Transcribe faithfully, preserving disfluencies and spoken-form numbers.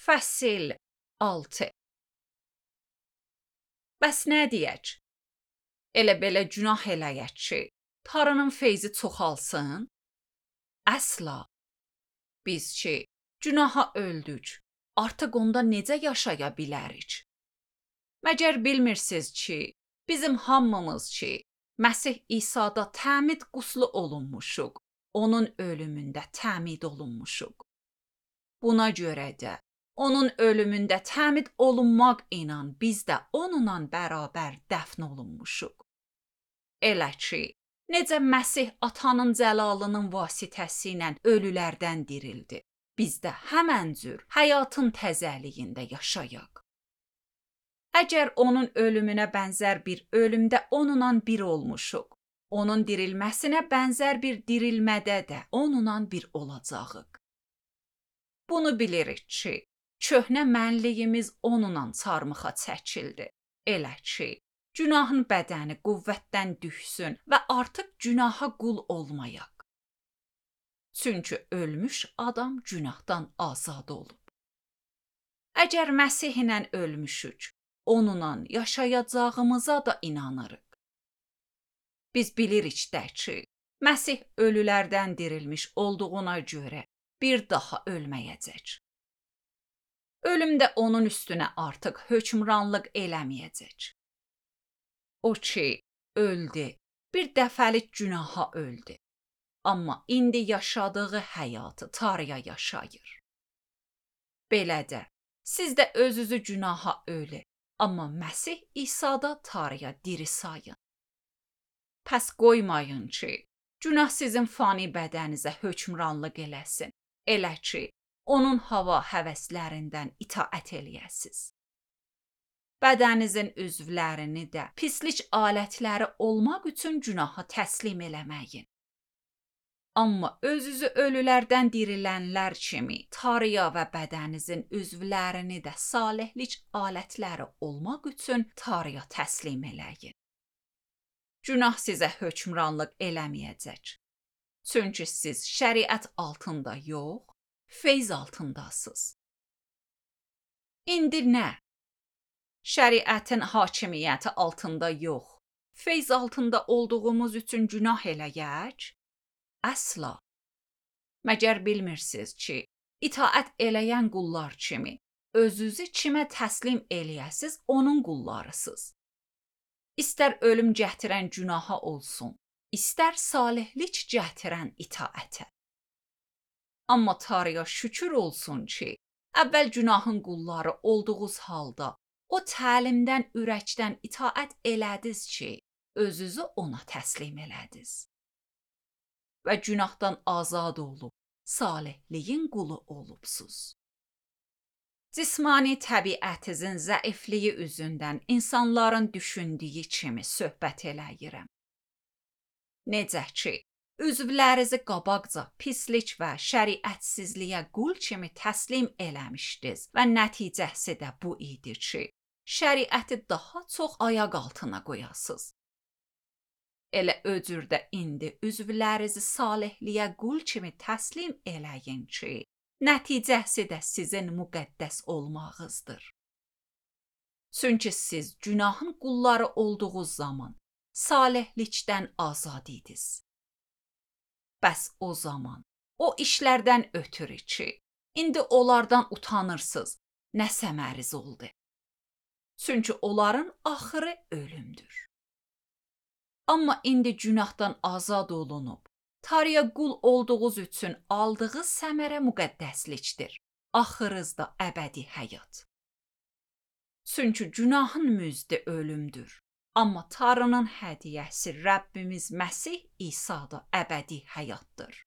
Fəsil altı. Bəs nə deyək? Elə belə günah eləyək ki, Tanrının feyzi çoxalsın? Əsla. Biz ki, günaha öldük, artıq onda necə yaşaya bilərik? Məgər bilmirsiniz ki, bizim hamımız ki, Məsih İsa'da təmid quslu olunmuşuq, onun ölümündə təmid olunmuşuq. Buna görə də, onun ölümündə təmid olunmaq ilə biz də onunla bərabər dəfn olunmuşuq. Elə ki, necə Məsih Atanın cəlalının vasitəsi ilə ölülərdən dirildi, biz də həmən cür həyatın təzəliyində yaşayaq. Əgər onun ölümünə bənzər bir ölümdə onunla bir olmuşuq, onun dirilməsinə bənzər bir dirilmədə də onunla bir olacağıq. Bunu bilirik ki, köhnə mənliyimiz onunla çarmıxa çəkildi. Elə ki, günahın bədəni qüvvətdən düşsün və artıq günaha qul olmayaq. Çünki ölmüş adam günahdan azad olub. Əgər Məsih ilə ölmüşük, onunla yaşayacağımıza da inanırıq. Biz bilirik də ki, Məsih ölülərdən dirilmiş olduğuna görə bir daha ölməyəcək. Ölüm də onun üstünə artıq hökmranlıq eləməyəcək. O ki, öldü, bir dəfəlik günaha öldü. Amma indi yaşadığı həyatı Tanrıya yaşayır. Belə də, siz də özünüzü günaha ölü, amma Məsih İsa'da Tanrıya diri sayın. Pəs qoymayın ki, günah sizin fani bədəninizə hökmranlıq eləsin. Elə ki, onun hava həvəslərindən itaət eləyəsiniz. Bədəninizin üzvlərini də pislik alətləri olmaq üçün günaha təslim eləməyin. Amma özünüzü ölülərdən dirilənlər kimi Tanrıya və bədəninizin üzvlərini də salihlik alətləri olmaq üçün Tanrıya təslim eləyin. Günah sizə hökmranlıq eləməyəcək. Çünki siz şəriət altında yox, feyz altındasınız. İndi nə? Şəriətin hakimiyyəti altında yox, feyz altında olduğumuz üçün günah eləyək? Əsla. Məgər bilmirsiniz ki, itaət eləyən qullar kimi, özünüzü kimə təslim eləyəsiz, onun qullarısınız. İstər ölüm gətirən günaha olsun, istər salihlik gətirən itaətə. Amma Tanrıya şükür olsun ki, əvvəl günahın qulları olduğunuz halda o təlimdən ürəkdən itaət elədiniz ki, özünüzü ona təslim elədiniz. Və günahdan azad olub, salihliyin qulu olubsuz. Cismani təbiətinizin zəifliyi üzündən insanların düşündüyü kimi söhbət eləyirəm. Necə ki, üzvlərinizi qabaqca pislik və şəriətsizliyə qul kimi təslim eləmişdiniz və nəticəsi də bu idi ki, şəriəti daha çox ayaq altına qoyasınız. Elə öcürdə indi üzvlərinizi salihliyə qul kimi təslim eləyin ki, nəticəsi də sizin müqəddəs olmağınızdır. Çünki siz günahın qulları olduğunuz zaman salihlikdən azad idiniz. Bəs o zaman, o işlərdən ötürü ki, indi onlardan utanırsınız, nə səməriz oldu? Çünki onların axırı ölümdür. Amma indi günahdan azad olunub, Tanrıya qul olduğunuz üçün aldığı səmərə müqəddəslikdir, axırızda əbədi həyat. Çünki günahın müzdi ölümdür, amma Tanrının hədiyyəsi Rəbbimiz Məsih İsa'da əbədi həyatdır.